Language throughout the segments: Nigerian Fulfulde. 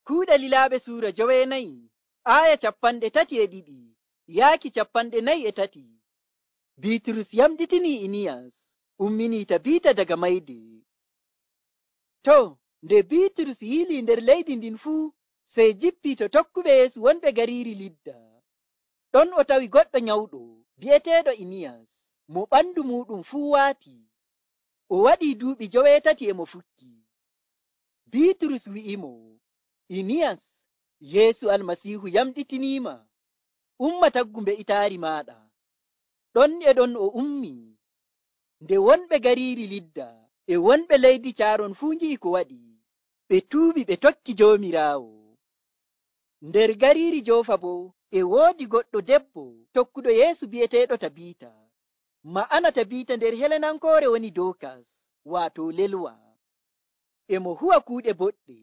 Kuuɗe Lilaaɓe Suura 9 aya 32 yaaki 43. Biiturus yamɗitinii Iniyas umminii Tabiita daga mayde. To, nde Biiturus yilii nder leydi ndin fuu, sey jippii to tokkuɓe Yeesu wonɓe gariiri Lidda. Ɗon o tawi goɗɗo nyawɗo bi'eteeɗo Iniyas, mo ɓandu muuɗum fuu waati. O waɗii duuɓi 8 e mo fukki. Biiturus wi'imo, Iniyas, Yeesu Almasiihu yamɗitiniima. Umma taggu mbe'itaari maaɗa. Ɗon e ɗon o ummii. Nde wonɓe gariiri Lidda e wonɓe leydi Caaron fuu ngi'i ko waɗi, ɓe tuubi ɓe tokki Joomiraawo. Nder gariiri Joofa boo e woodi goɗɗo debbo tokkuɗo Yeesu bi'eteeɗo Tabiita. Ma'ana Tabiita nder Helenankoore woni Dookas, waato lelwa. E mo huwa kuuɗe boɗɗe,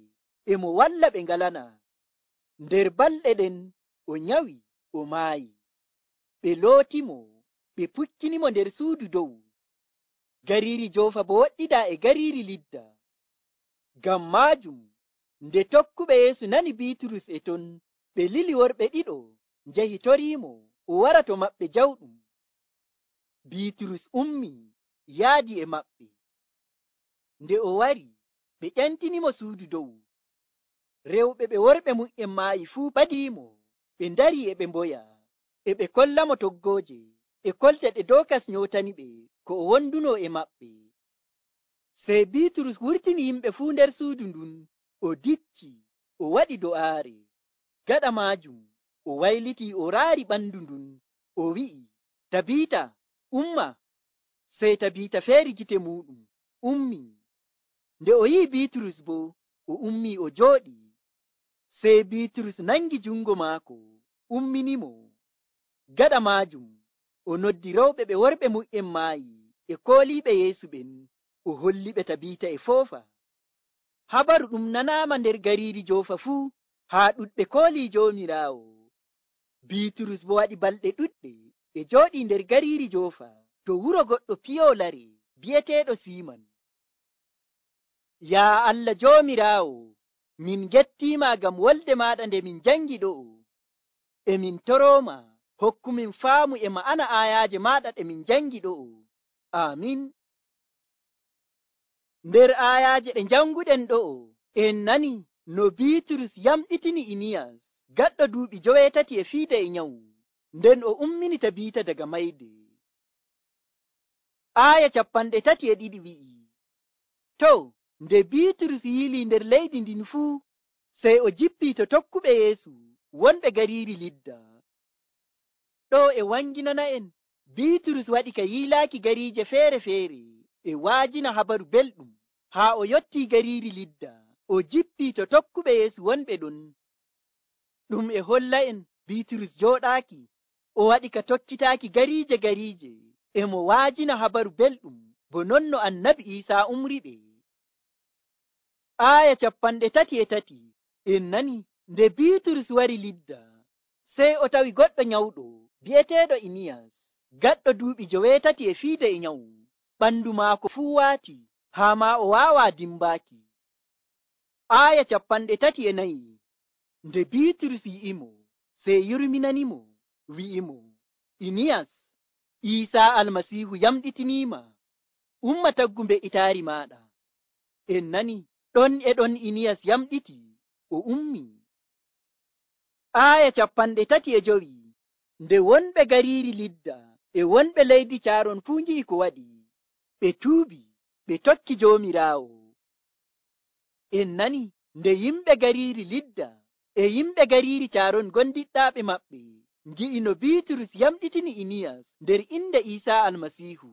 e mo walla ɓe ngalana. Nder balɗe ɗen o nyawi, o maayi. Ɓe lootimo, ɓe pukkinimo nder suudu dow. Gariiri Joofa bo woɗɗidaa e gariiri Lidda. Ngam maajum, nde tokkuɓe Yeesu nani Biiturus e ton, ɓe lili worɓe ɗiɗo njahi toriimo o wara to maɓɓe jawɗum. Biiturus ummii yaadi e maɓɓe. Nde o wari, ɓe ƴantinimo suudu dow. Rewɓe ɓe worɓe mum maayi fuu ɓadiimo, ɓe ndarii e ɓe mboya, e ɓe kollamo toggooje, e kolte ɗe Dookas nyootaniɓe ko o wonduno e maɓɓe. Sey Biiturus wurtini yimɓe fuu nder suudu ndun, o dicci, o waɗi do'aare. Gaɗa maajum, o waylitii o raari ɓandu ndun, o wi'i, Tabiita, umma. Sey Tabiita feeri gite muuɗum, ummii. Nde o yi'i Biiturus boo, o ummii o jooɗii. Sey Biiturus nangi jungo maako, umminimo. Gaɗa maajum, o noddi rewɓe ɓe worɓe mum maayi e kooliiɓe Yeesu ɓen, o holliɓe Tabiita e foofa. Habaru ɗum nanaama nder gariiri Joofa fuu, haa ɗuɗɓe koolii Joomiraawo. Biiturus bo waɗi balɗe ɗuɗɗe e jooɗii nder gariiri Joofa to wuro goɗɗo piyoolare bi'eteeɗo Siiman. Yaa Allah Joomiraawo, min gettiima ngam wolde maaɗa nde min jangi ɗo'o. E min torooma hokkumin faamu e ma'ana aayaaje maaɗa ɗe min jangi ɗo'o. Aamin. Nder aayaaje ɗe janguɗen ɗo'o, en nani no Biiturus yamɗitini Iniyas gaɗɗo duuɓi 8 e nyawu, nden o ummini Tabiita daga mayde. Aaya 32 wi'i, to, nde Biiturus yilii nder leydi ndin fuu, sey o jippii to tokkuɓe Yeesu wonɓe gariiri Lidda. Ɗo e wanginana en, Biiturus waɗi ka yiilaaki gariije feere-feere e waajina habaru belɗum, haa o yottii gariiri Lidda, o jippii to tokkuɓe Yeesu wonɓe ɗon. Ɗum e holla en Biiturus jooɗaaki, o waɗi ka tokkitaaki gariije, e mo waajina habaru belɗum, bo non no Annabi Iisaa umriɓe. Aaya 33 en nani nde Biiturus wari Lidda, sey o tawi goɗɗo nyawɗo bi'eteeɗo Iniyas, gaɗɗo duuɓi 8 e nyawu. Ɓandu maako fuu waati, haa maa o waawaa dimbaaki. Aaya 34 nde Biiturus yi'imo, sey yurminanimo, wi'imo, Iniyas, Iisaa Almasiihu yamɗitiniima. Umma taggu mbe'itaari maaɗa. En nani ɗon e ɗon Iniyas yamɗiti, o ummii. Aaya 35 nde wonɓe gariiri Lidda e wonɓe leydi Caaron fuu ngi'i ko waɗi, ɓe tuubi, ɓe tokki Joomiraawo. En nani nde yimɓe gariiri Lidda e yimɓe gariiri Caaron gondiɗɗaaɓe maɓɓe ngi'i no Biiturus yamɗitini Iniyas nder inde Iisaa Almasiihu,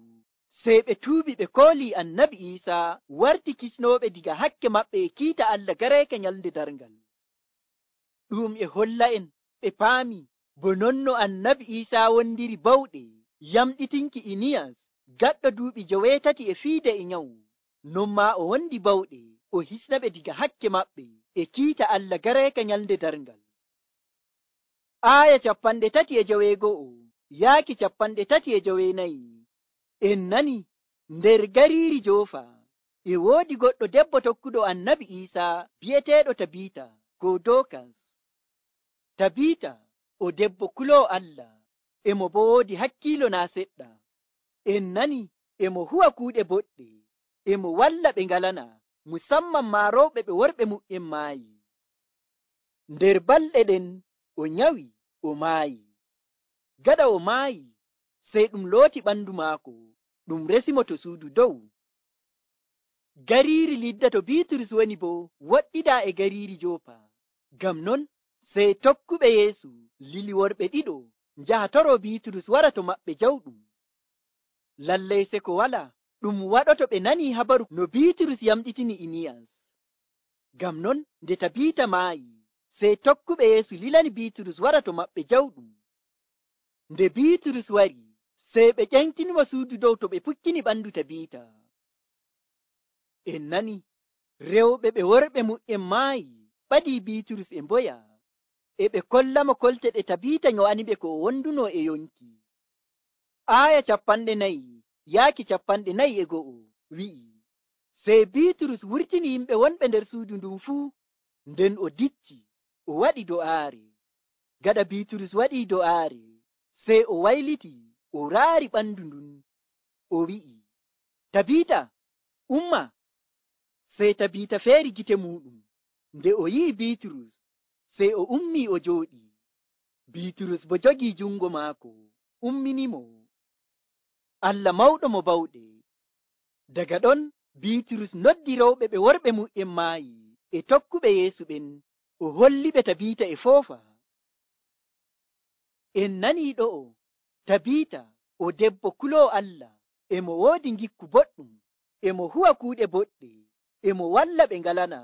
sey ɓe tuubi ɓe koolii Annabi Iisaa warti kisnooɓe diga hakke maɓɓe e kiita Allah gareeke nyalnde darngal. Ɗum e holla en ɓe paami bo non no Annabi Iisaa wondiri bawɗe yamɗitinki Iniyas gaɗɗo duuɓi 8 e nyawu, non maa o wondi bawɗe o hisna ɓe diga hakke maɓɓe e kiita Allah gareeke nyalnde darngal. Aaya 39 yaaki 39 en nani nder gariiri Joofa e woodi goɗɗo debbo tokkuɗo Annabi Iisaa bi'eteeɗo Tabiita. ko Dokas. Tabita o debbo kuloowo Allah, emo bo woodi hakkiilo naa seɗɗa. En nani emo huwa kuuɗe boɗɗe, emo walla ɓe ngalana, musamman maa rewɓe ɓe worɓe mu'en maayi. Nder balɗe ɗen o nyawi, o maayi. Gaɗa o maayi, sey ɗum looti ɓandu maako, ɗum resimo to suudu dow. Gariiri Lidda to Biiturus woni bo woɗɗidaa e gariiri Joopa. Ngam non sey tokkuɓe Yeesu lili worɓe ɗiɗo njaha toroo Biiturus wara to maɓɓe jawɗum. Lallay seko wala ɗum waɗoto ɓe nanii habaru no Biiturus yamɗitini Iniyas. Ngam non nde Tabiita maayi, sey tokkuɓe Yeesu lilani Biiturus wara to maɓɓe jawɗum. Nde Biiturus wari, sey ɓe ƴentinimo suudu dow to ɓe pukkini ɓandu Tabiita. En nani rewɓe ɓe worɓe mu'en maayi ɓadii Biiturus e mboya, e ɓe kollamo kolte ɗe Tabiita nyo'aniɓe ko o wonduno e yonki. Aaya 4:4 wi'i, sey Biiturus wurtini yimɓe wonɓe nder suudu ndun fuu, nden o dicci o waɗi do'aare. Gaɗa Biiturus waɗii do'aare, sey o wayliti o raari ɓandu ndun, o wi'i, Tabiita, umma. Sey Tabiita feeri gite muuɗum. Nde o yi'i Biiturus, sey o ummii o jooɗii. Biiturus bo jogii jungo maako, umminimo. Allah mawɗo mo bawɗe. Daga ɗon Biiturus noddi rewɓe ɓe worɓe mu'en maayi e tokkuɓe Yeesu ɓen, o holliɓe Tabiita e foofa. En nanii ɗo'o, Tabiita o debbo kuloowo Allah, emo woodi ngikku boɗɗum, emo huwa kuuɗe boɗɗe, emo walla ɓe ngalana.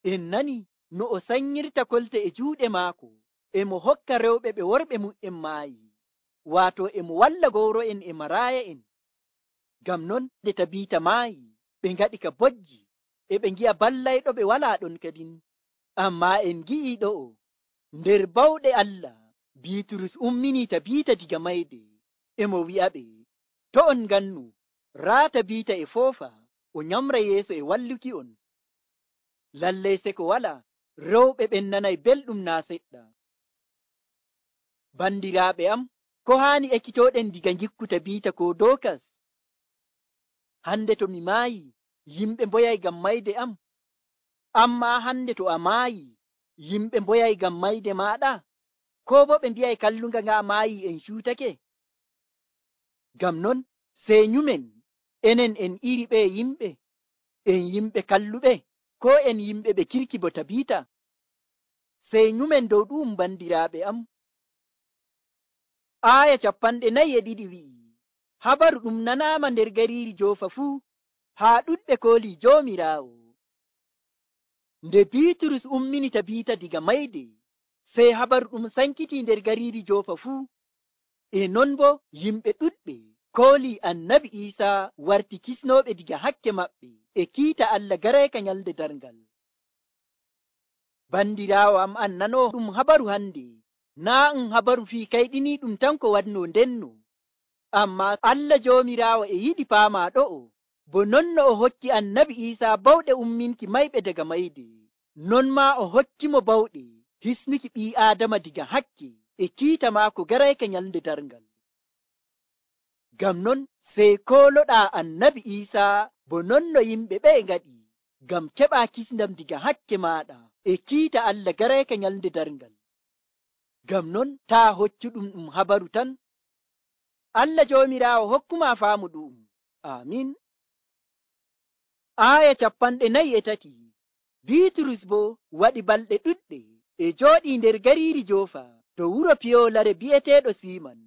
En nani no o sanyirta kolte e juuɗe maako, emo hokka rewɓe ɓe worɓe mu'en maayi, waato emo walla gowro'en e maraaya'en. Ngam non nde Tabiita maayi, ɓe ngaɗi ka bojji, e ɓe ngi'a ballayɗo ɓe walaa ɗon kadin. Ammaa en ngi'ii ɗo'o, nder bawɗe Allah, Biiturus umminii Tabiita diga mayde, emo wi'aɓe, to on ngannu, raa Tabiita e foofa, o nyamra yeeso e walluki on. Lallay seko wala rewɓe ɓen nanay belɗum naa seɗɗa. Bandiraaɓe am, ko haani ekkitooɗen diga ngikku Tabiita ko Dokas? Hande to mi maayi, yimɓe mboyay ngam mayde am. Ammaa hande to a maayi, yimɓe mboyay ngam mayde maaɗa? Koo bo ɓe mbi'ay kallunga ng'a maayi en cuutake? Ngam non sey nyumen, enen en iri ɓe yimɓe, en yimɓe kalluɓe, koo en yimɓe ɓe kirki bo Tabiita? Sey nyumen dow ɗum bandiraaɓe am. Aaya 42 wi'i, habaru ɗum nanaama nder gariiri Joofa fuu, haa ɗuɗɓe koolii Joomiraawo. Nde Biiturus ummini Tabiita diga mayde, sey habaru ɗum sankitii nder gariiri Joofa fuu. E non bo yimɓe ɗuɗɓe koolii Annabi Iisaa warti kisnooɓe diga hakke maɓɓe e kiita Allah garayka nyalde darngal. Bandiraawo am an nanoo ɗum habaru hande, naa ɗum habaru fii kayɗiniiɗum tan ko waɗnoo ndenno. Ammaa Allah Joomiraawo e yiɗi paamaa ɗo'o, bo non no o hokki Annabi Iisaa bawɗe umminki mayɓe daga mayde, non maa o hokki mo bawɗe hisnuki ɓii Aadama diga hakke e kiita maako garayka nyalde darngal. Ngam non sey kooloɗaa Annabi Iisaa bo non no yimɓe ɓe ngaɗi, ngam keɓaa kisndam diga hakke maaɗa e kiita Allah garayka nyalde darngal. Ngam non taa hoccuɗum ɗum habaru tan. Allah Joomiraawo hokkumaa faamu ɗum. Amin. Aaya 43 Biiturus bo waɗi balɗe ɗuɗɗe e jooɗii nder gariiri Joofa to wuro piyoolare bi'eteeɗo Siiman.